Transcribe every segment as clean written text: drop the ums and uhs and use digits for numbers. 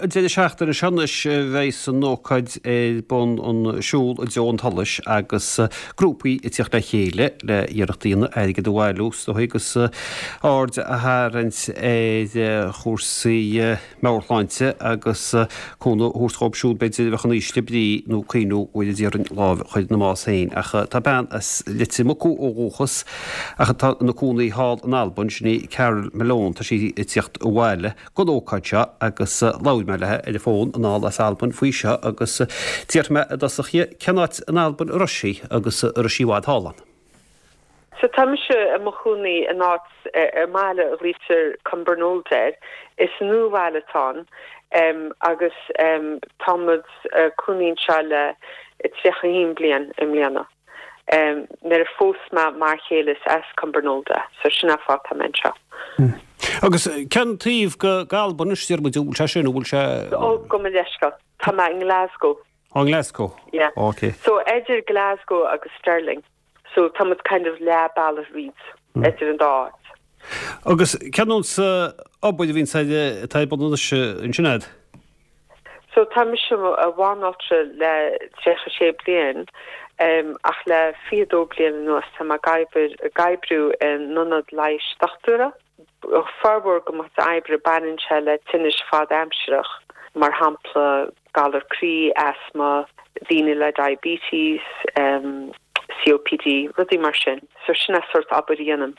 an deireadh seachtaine seo anois a bheidhs an ócáid ar bun an siúl i dtreo an tsolais agus grúpaí ag tíocht le chéile le iarracht a dhéanamh airgead a bhailiú is dóigh agus aird a tharraingt ar chúrsaí meabhairshláinte agus cúnamh a thabhairt dhóibh siúd b'fhéidir a bheadh in ísle brí nó cuimhniú uair a déarfainn lámh a chur ina mbás féin. Ach tá bean as Leitir Mucú ó dhúchas ach atá ina cónaí thall in Albain, sin í Carol Malone, tá sí ag tíocht abhaile don ócáid seo agus labhair mé léi ar an bhfón anall as Albain faoi seo agus d'fhiafraigh mé i dtosach dhi cén áit in Albain a raibh sí agus an raibh sí i bhfad thall ann. So tá mise i mo chónaí in áit, i mbaile a ghlaoitear Cumbernauld air. Is nuabhaile atá ann agus tá muid cónaí anseo le 31 bliain i mbliana. Nuair a phós mé m'fhear chéile is as Cumbernauld é, so sin an fáth tá mé anseo. Agus cén taobh go Albain anois, deir muid, an bhfuil sé sin, an bhfuil sé. Ó, gabh mo leithscéal, tá mé i nGlasgow. Ó, i nGlasgow? Yeah. Ok. So idir Glasgow agus Stirling. So tá muid kind of leath bealaigh thríd, idir an dá áit. Agus cén nós obair a bhíonn atá ar bun anois ansin a'd? So tá mise i mo bhanaltra le 36 bliain, ach le 22 bliain anuas tá mé ag obair, ag oibriú in ionad leighis dochtúra. Formhór de mo chuid oibre baineann sé le tinnis fad-aimsireach, mar shampla galar croí, asma, daoine le diabetes, COPD, rudaí mar sin. So sin an sórt obair a dhéanaim.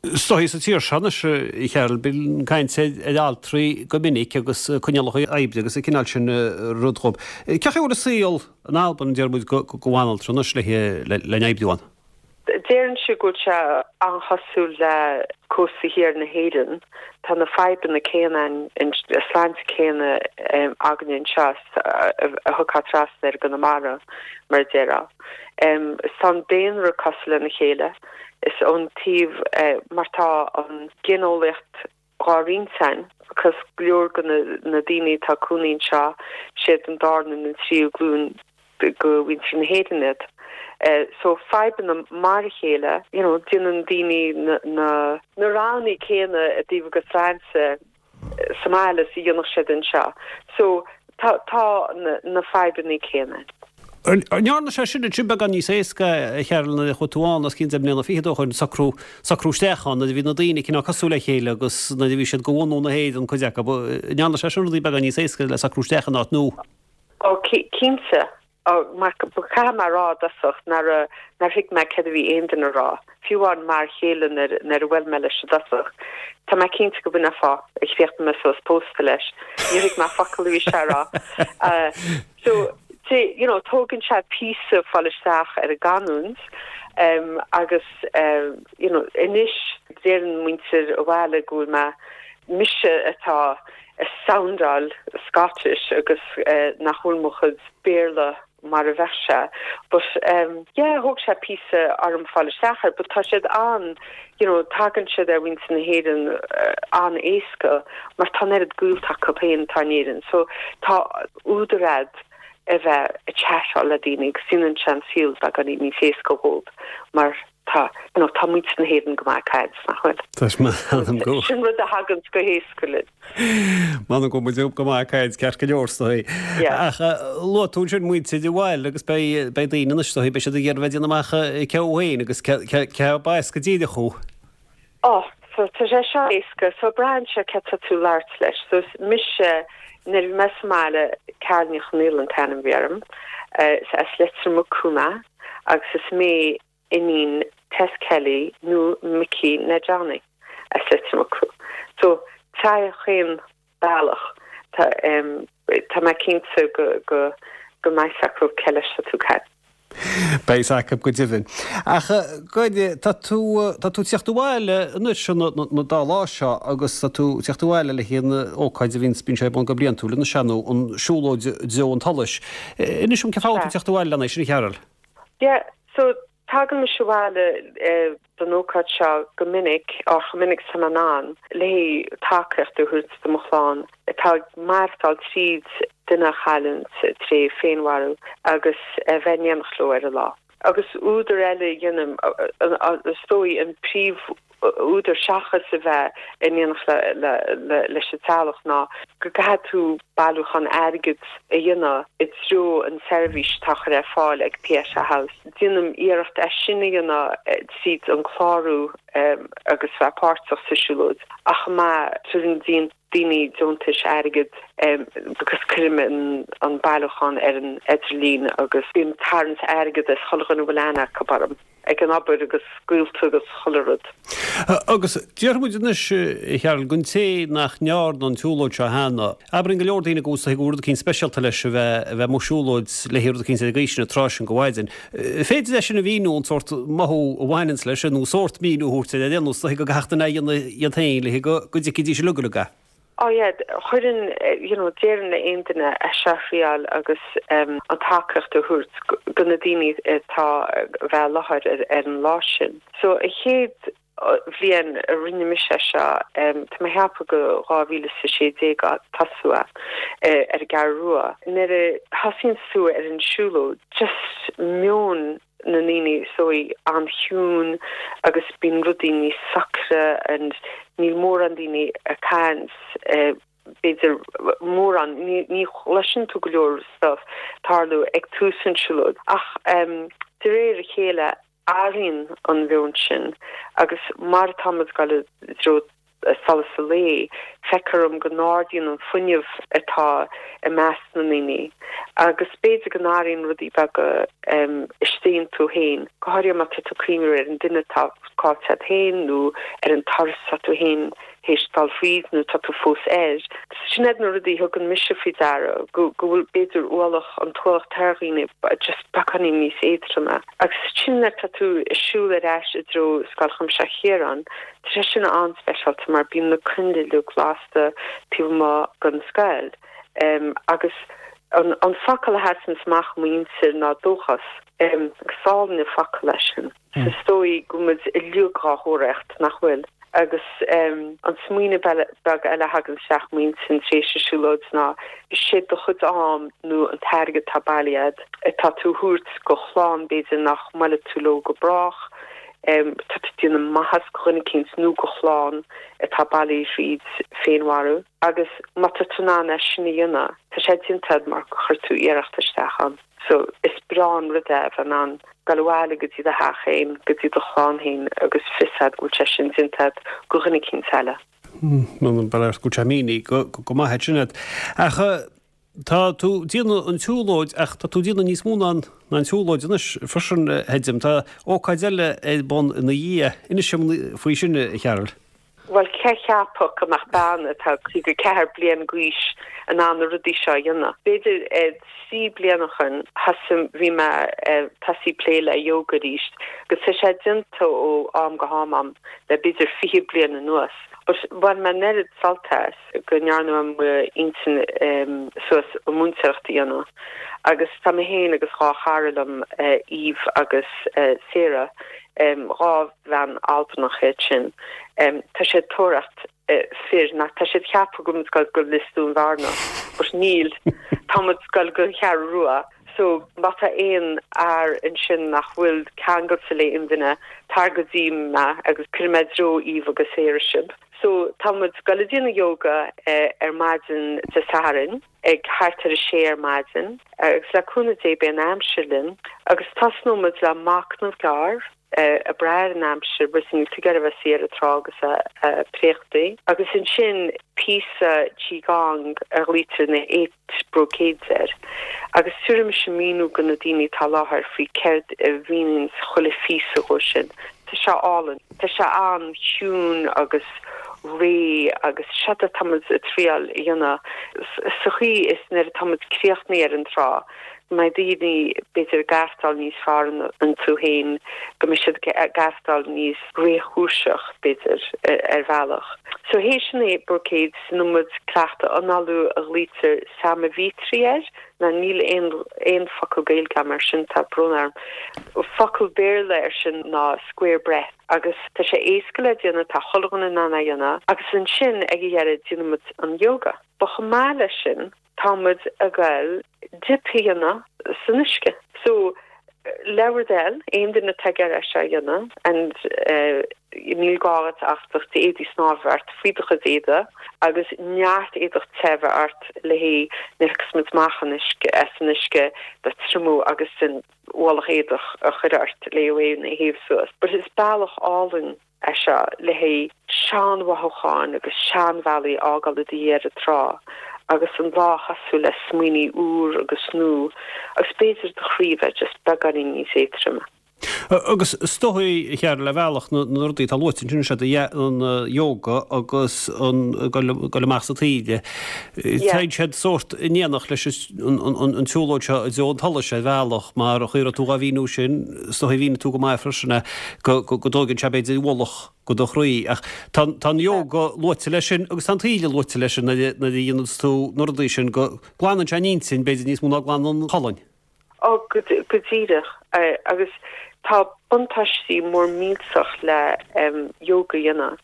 Is dóigh sa tír seo anois, a Cheryl, bíonn caint ar altraí go minic agus coinníollacha oibre agus an cineál sin rud dhób. Cén chaoi a bhfuil an saol in Albain, deir muid, go bhanaltra anois le n-oibriú ann? Déarfainnse go bhfuil sé an-chosúil le cósta thiar na hÉireann. Tá na fadhbanna céanna, an sláinte céanna againne anseo a thiocfá trasna ar i gConamara, mar a déarfá. Is tá an daonra cosúil lena chéile. Is ón taobh mar tá an ghineolaíocht dhá roinnt ann because go leor de na daoine atá ag cónaí anseo, siad an darna nó an tríú glúin de mhuintir na hÉireann iad. So fadhbanna mar a chéile, you know, déanann daoine na na roghanna céanna i dtaobh a gcuid sláinte sa mbaile is a dhéanfadh siad anseo. So tá tá na fadhbanna céanna. An ndearna sé sin ansin beagán níos éasca, a Cheryl, nuair a chuaigh tú ann os cionn deich mbliana fichead ó shoin, socrú, socrú isteach ann, nuair a bhí na daoine cineál cosúil le chéile agus nuair a bhí siad de bhunú na hÉireann, cuid acu, an ndearna sé sin rudaí beagán níos éasca le socrú isteach in áit nua? Ó, cinnte. Ó, mar caithfidh mé a rá i dtosach nár, nár thuig mé céard a bhí aon duine a rá, fiú amháin m'fhear chéile nuair, nuair a bhuail mé leis i dtosach. Tá mé cinnte go b'in an fáth a chríochnaigh mé suas pósta leis. Níor thuig mé focal a bhí sé a rá. So, you know, tógann sé píosa fáil isteach ar an gcanúint agus, you know, anois deireann muintir an bhaile go bhfuil mé, mise atá ag soundáil Scottish agus nach bhfuil mo chuid Béarla mar a bheadh sé. But yeah, thóg sé píosa orm fáil isteach air, but tá siad an, you know, tagann siad ar mhuintir na hÉireann an-éasca mar tá an oiread gaolta acu féin atá in Éirinn. So tá údar a'd a bheith ag chatáil le daoine agus déanann sé an saol beagáinín níos éasca dhóibh mar tá, you know, tá muintir na hÉireann go maith ag caint, nach bhfuil? Tá sé m'anam go. Sin rud a thaganns go héasca linn. M'anam go bhfuil muid go maith ag caint, ceart go leor, is dóigh. Yeah. Ach luaigh tú ansin muintir an bhaile agus beidh, beidh daoine anois, is dóigh, beidh siad ag iarraidh bheith ag déanamh amach cé thú féin agus cé, cé, cé ab as go díreach thú. Oh, so tá sé seo éasca. So braitheann sé cé tá tú labhairt leis. So is mise, nuair a bhí mé sa mbaile, Carol Ní Chonaola an t-ainm a bhí orm. Is as Leitir Mucú mé agus is mé iníon Tess Kelly nó Mickey Ned Johnny as Leitir Mucú. So tá chaon bealach. Tá tá mé cinnte go go go mbeidh 's acu cé leis tá tú ag caint. Beidh 's acu go deimhin. Ach goid, tá tú tá tú ag tíocht abhaile anois an dá lá seo agus tá tú ag tíocht abhaile le haghaidh an ócáid a bhíonns bíonn sé ar bun go bliantúil anois an an siúlóid i dtreo an tsolais. Inis dom cén fáth a bhfuil tú ag tíocht abhaile lena sin a Cheryl? Yeah, so tagann mise abhaile don ócáid seo go minic, or chomh minic is atá mé in ann, le tacaíocht a thabhairt do mo chlann atá ag maireachtáil tríd duine a chailliúint tré féinmharú agus a bheith in éineacht leo ar an lá. Agus údar eile a dhéanaim, is dóigh, an príomh. údar seachas a bheith in éineacht leis an teaghlach ná go gcaithfidh tú bailiúchán airgid a dhéanamh i dtreo an seirbhís atá á chur ar fáil ag Pieta House. Déanaim iarracht é sin a dhéanamh tríd an clárú agus bheith páirteach sa siúlóid ach chomh maith tugann daoine deontais airgid agus cuirim an bailiúchán ar an idirlíon agus bím ag tarraingt airgid as chuile dhuine a bhfuil aithne acu orm. ag an obair agus gaolta agus chuile rud. Agus déarfaidh muid anois, a Cheryl, don té nach ndearna an tsiúlóid seo cheana, abraíonn go leor daoine go bhfuil rud eicínt speisialta leis a bheith a bheith amuigh ag siúlóid le rud eicínt ar an gcaoi sin an tráth sin de mhaidin. Féidir é sin a mhíniú, an sórt mothú a bhaineanns leis nó sórt míniú a thabhairt ar aon nós, go gcaithfeadh duine é a dhéanamh iad féin le go dtuigfidís uilig uilig é. Oh yeah, chuirfinn, you know, déarfainn le aon duine é seo a thriáil agus an tacaíocht a thabhairt do na daoine atá a bheith i láthair ar an lá sin. So an chéad bhliain a rinne mise é seo, tá mé ag ceapadh go 2016 a tosú é ar an gCeathrú Rua. Nuair a thosaíonn tú ar an siúlóid, just meon na ndaoine so an-chiúin agus bíonn rudaí níos socra and níl mórán daoine ag caint b'fhéidir mórán, ní chloiseann tú go leor stuff tarlú ag tús an siúlóid ach de réir a chéile athraíonn an mheon sin agus mar atá muid ag dul i dtreo solas an lae, feictear dom go n-ardaíonn an fuinneamh atá i measc na ndaoine agus b'fhéidir go n-athraíonn rudaí beaga istigh iontu féin, go háirithe má tá tú ag cuimhniú ar an duine atá caillte agat féin nó ar an turas atá tú féin théis dul fríd nó tá tú fós air. Sin iad na rudaí a thugann mise faoi deara, go bhfuil b'fhéidir ualach, an t-ualach atá ar dhaoine just beagáinín níos éadtroime. Agus sin nuair atá tú ag siúl ar ais i dtreo Scoil Chuimsitheach Chiaráin, Tá sé sin an-speisialta mar bíonn na coinnle uilig lasta taobh amuigh den scoil agus an focal a sheasanns amach i m'intinn ná dóchas. Is álainn an focal é sin. Is dóigh go bhfuil muid uilig dhá thóraíocht, nach bhfuil? Agus an smaoineamh beag eile a thagann isteach i m'intinn tar éis an siúlóid ná sé do chuid am nó an t-airgead atá bailithe agat atá tú a thabhairt go chlann b'fhéidir nach mbuailfidh tú leo go brách, Tá tú ag déanamh maitheas go dhuine eicínt nó go chlann atá bailithe thríd féinmharú agus má tá tú in ann é sin a dhéanamh, tá sé déanta agat mar gur chuir tú iarracht isteach ann. So is breá an rud é a bheith in ann dul abhaile go dtí do theach féin, go dtí do chlann féin agus fios agat go bhfuil sé sin déanta agat go dhuine eicínt eile. Ba léir go bhfuil sé mínithe go maith agat sin. Ach Tá tú ag déanamh an tsiúlóid ach tá tú ag déanamh níos mó ná an tsiúlóid anois freisin, a chreidim. Tá ócáid eile ar bun ina dhiaidh. Inis dom faoi sin, a Cheryl. Bhuel, cé a cheapfadh go mbeadh bean atá 54 bliain d'aois in ann na rudaí seo a dhéanamh? B'fhéidir 3 bliana ó shin, thosaigh, bhí mé ag tosaí plé le yoga arís agus tá sé déanta ó am go ham a'm le b'fhéidir 20 bliain anuas. But bhain mé an oiread sult as. go ndearna mé m'intinn suas an múinteoireacht a dhéanamh agus tá mé féin agus 2 chara liom, Eve agus Sarah, 2 bhean Albanach iad sin, tá siad ag tóraíocht fir, ná tá siad ag ceapadh go bhfuil muid ag dul go Lios Dúin Bhearna, but níl, tá muid ag dul go Ceathrú Rua. So má tá aon fhear ansin nach bhfuil ceangailte le aon duine, tar go dtí mé agus cuirfidh mé i dtreo Eve agus Sarah sibh. So, tá muid ag dul ag déanamh yoga ar maidin Dé Sathairn ag thart ar a sé ar maidin agus le cúnamh Dé beidh an aimsir linn agus tosnóidh muid le machnamh gearr ag brath ar an aimsir bhuel níl tú ag iarraidh a bheith suí ar an trá agus ag préachtaí agus ansin píosa Qigong a ghlaoitear na Brocades air, agus tabharfaidh mise míniú go na daoine atá i láthair faoi céard a mhíníonns chuile phíosa dhó sin. Tá sé álainn. Tá sé an-chiúin agus réidh agus séard atá muid ag triáil a dhéanamh sa chaoi is nuair atá muid críochnaithe ar an trá go mbeidh daoine b'fhéidir ag aireachtáil níos fearr iontu féin, go mbeidh siad ag aireachtáil níos réchúiseach b'fhéidir ar bhealach. So théis an Brocades déanfaidh muid cleachtadh análú a ghlaoitear Samavitri air, ná níl aon aon focal Gaeilge agam air sin, tá brón orm. Focal Béarla air sin ná square breath agus tá sé éasca le déanamh, tá chuile dhuine in ann é a dhéanamh agus ansin ag a dheireadh déanfaidh muid an yoga. But chomh maith leis sin tá muid ag goil dip a dhéanamh san uisce. So le bhur dtoil, aon duine atá ag iarraidh é seo a dhéanamh and eh. Níl gá duit ach do chuid éadaí snámha a bheith ort faoi do chuid éadaí agus neart éadach te a bheith ort le haghaidh nuair a thiocfas muid amach an uisce, as an uisce do triomú agus an ualach éadach a chur ort le é a théamh suas. But is bealach álainn é seo le haghaidh seanmhothúcháin agus seanbhealaí a fhágáil i do dhiaidh ar an trá agus an lá a thosú le smaoiní úr agus nua agus b'fhéidir do chroí a bheith just beagáinín níos éadtroime. Agus is dóigh, a Cheryl, ar bhealach na rudaí atá luaite ansin, is ea an yoga agus an goil amach sa taoille, téann siad sórt in éineacht leis an tsiúlóid seo i dtreo an tsolais ar bhealach, mar an chaoi a raibh tú dhá mhíniú sin, is dóigh mhínigh tú go maith freisin é, go dtóigeann sé b'fhéidir ualach go do chroí. Ach tá an yoga luaite leis sin agus tá an taoille luaite leis sin nuair a dhéananns tú na rudaí sin, go glanann sé an intinn b'fhéidir níos mó ná glanann an cholainn. Ó, go díreach. Agus tá buntáistí mór millteach le yoga a dhéanamh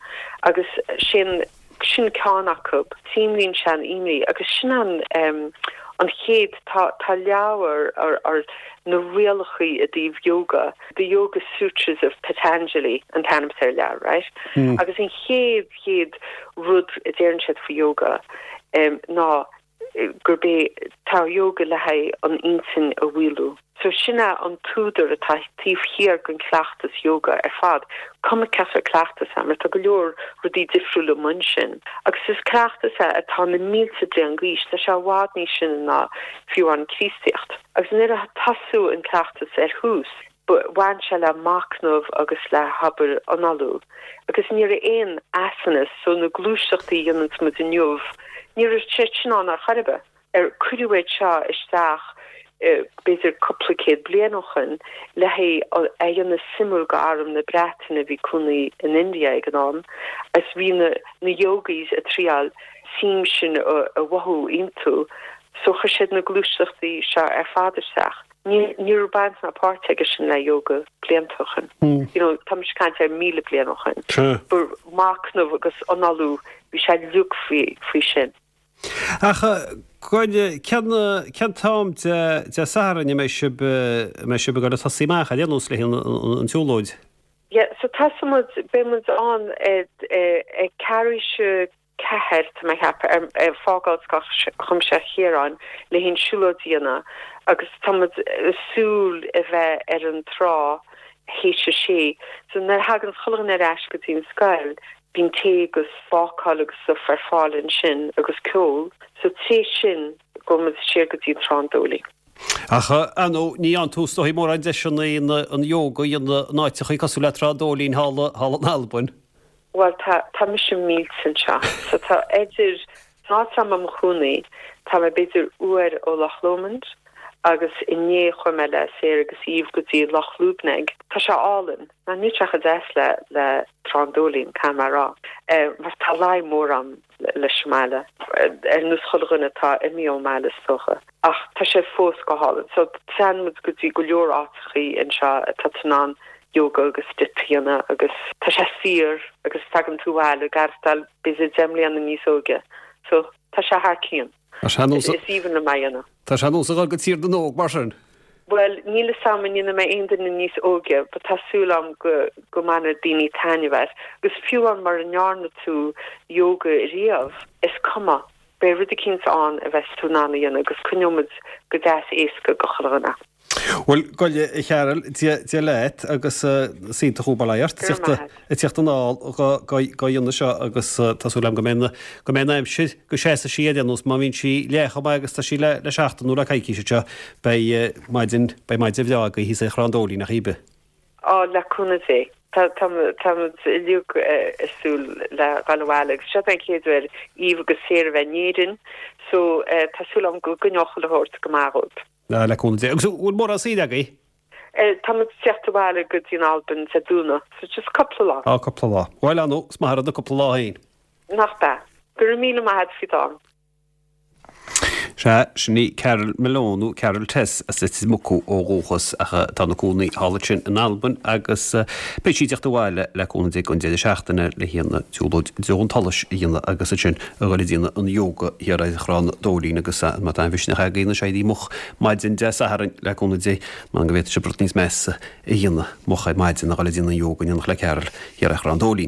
agus sin, sin ceann acu. Dímríonn sé an imní agus sin an, an chéad, tá, tá leabhar ar, ar na rialachaí i dtaobh yoga, The Yoga Sutras of Patanjali an t-ainm atá ar an leabhar, right? Agus an chéad, chéad rud a deireann siad faoi yoga ná gurb é tá yoga le haghaidh an intinn a mhaolú. So sin é an t-údar atá taobh thiar den cleachtas yoga ar fad, cuma cén sórt cleachtas é, mar tá go leor rudaí difriúla amuigh ansin. Agus is cleachtas é atá na mílte bliain d'aois, tá sé i bhfad níos sine ná fiú an Críostaíocht. Agus nuair a tosaíodh an cleachtas ar thús, Bhain sé le machnamh agus le habair análú. Agus ní raibh aon asanas, so na gluaiseachtaí a dhéananns muid inniu, ní raibh siad sin ann ar chor ar bith. Ar cuireadh iad seo isteach b'fhéidir cúpla céad bliain ó shoin le haghaidh a dhéanamh suimiúil go arm na Breataine a bhí cónaí in India ag an am agus bhí na na yogis ag triáil suim sin a mhothú iontu so chuir siad na gluaiseachtaí seo ar fad isteach. Ní raibh baint ná páirt aige sin le yoga blianta ó shoin. You know, tá mise ag caint ar 1,000 bliain ó shoin. Ba machnamh agus análú, bhí sé uilig faoi, faoi sin. Ach cén, cén t-am Dé, Dé Sathairn a mbeidh sibh, a mbeidh sibh ag dul ag tosaí amach ar aon nós le haghaidh an, an tsiúlóid? Yeah, so tosóidh muid, beidh muid ann ag, ag ceathrú théis a 4, tá mé ag ceapadh, ag fágáil Scoil Chuimsitheach Chiaráin le haghaidh an siúlóid a dhéanamh agus tá muid ag súil a bheith ar an trá théis a sé. So nuair a thagann chuile dhuine ar ais go dtí an scoil, bíonn tae agus bácáil agus stuff ar fáil ansin agus ceol. So tar éis sin, gabhfaidh muid siar go dtí Trá an Dóilín. Ach, ar ndóigh, ní fhaigheann tú is dóigh mórán deiseanna an yoga a dhéanamh in áiteachaí cosúil le Trá an Dóilín thall, thall in Albain. Bhuel, tá, tá mise millte anseo. So tá idir, san áit atá mé i mo chónaí, tá mé b'fhéidir uair ó Loch Lomond agus inné chuaigh mé le Sarah agus Eve go dtí Loch Lubnaig. Tá sé álainn. Ná níl sé chomh deas le, le Trá an Dóilín, caithfidh mé a rá. Mar tá luí mór a'm leis an mbaile. Ar nós chuile dhuine atá imithe ón mbaile is dócha. Ach tá sé fós go hálainn. So téann muid go dtí go leor áiteachaí anseo atá tú in ann yoga agus dip a dhéanamh agus tá sé saor agus tagann tú abhaile ag aireachtáil b'fhéidir 10 mbliana níos óige. So tá sé thar cionn. Tá sé Is aoibhinn liom é a dhéanamh. Tá sé ar nós a dhul go Tír na nÓg mar sin. Bhuel, níl 'fhios a'm an ndéanfaidh mé aon duine níos óige but tá súil a'm go go mbainfidh daoine taitneamh as. Agus fiú amháin mura ndearna tú yoga riamh, is cuma, beidh rud eicínt ann a bheas tú in ann a dhéanamh agus coinneoidh muid go deas éasca go chuile dhuine. Bhuel, gabh i leith a Cheryl, Dia leat agus is iontach bail ó Dhia ort ag tíocht anall dhá dhéanamh seo agus tá súil agam go mbeidh go mbeidh an aimsir, go seasfaidh sí ar aon nós, má bhíonn sí leath chomh maith agus tá sí le seachtain nó le coicís anseo, beidh maidin, beidh maidin bhreá agaibh thíos ar Thrá an Dóilín ach ar bith. Á, le cúnamh Dé. Tá, tá, tá muid uilig ag súil le dhul abhaile agus seo an chéad uair Eve agus Sarah a bheith in Éirinn so tá súil agam go gcoinneoidh chuile shórt go maith dhóibh. Á, le cúnamh Dé. Agus an bhfuil mórán saoire agaibh? Tá muid ag tíocht abhaile go dtí an Albain Dé Domhnaigh, so just cúpla lá. Á, cúpla lá. Bhuel, ar ndóigh, is maith an rud na cúpla lá féin. Nach b'ea. Go raibh míle maith a't faoi d'am. Sea, sin í Carol Malone, nó Carol Tess, as Leitir Mucú ó dhúchas, ach atá ina cónaí thall ansin in Albain agus beidh sí ag teacht abhaile le cúnamh Dé don deireadh seachtaine le haghaidh an tsiúlóid i dtreo an tsolais a dhéanamh agus ansin a dhul ag déanamh an yoga thiar ar Thrá na Dóilín agus má tá aon mhisneach agaibh anois éirí moch maidin Dé Sathairn le cúnamh Dé, m'anam go bhféadfaidh sibh rud níos measa a dhéanamh moch ar maidin ná dhul ag déanamh an yoga in éineacht le Carol thiar ar Thrá na Dóilín.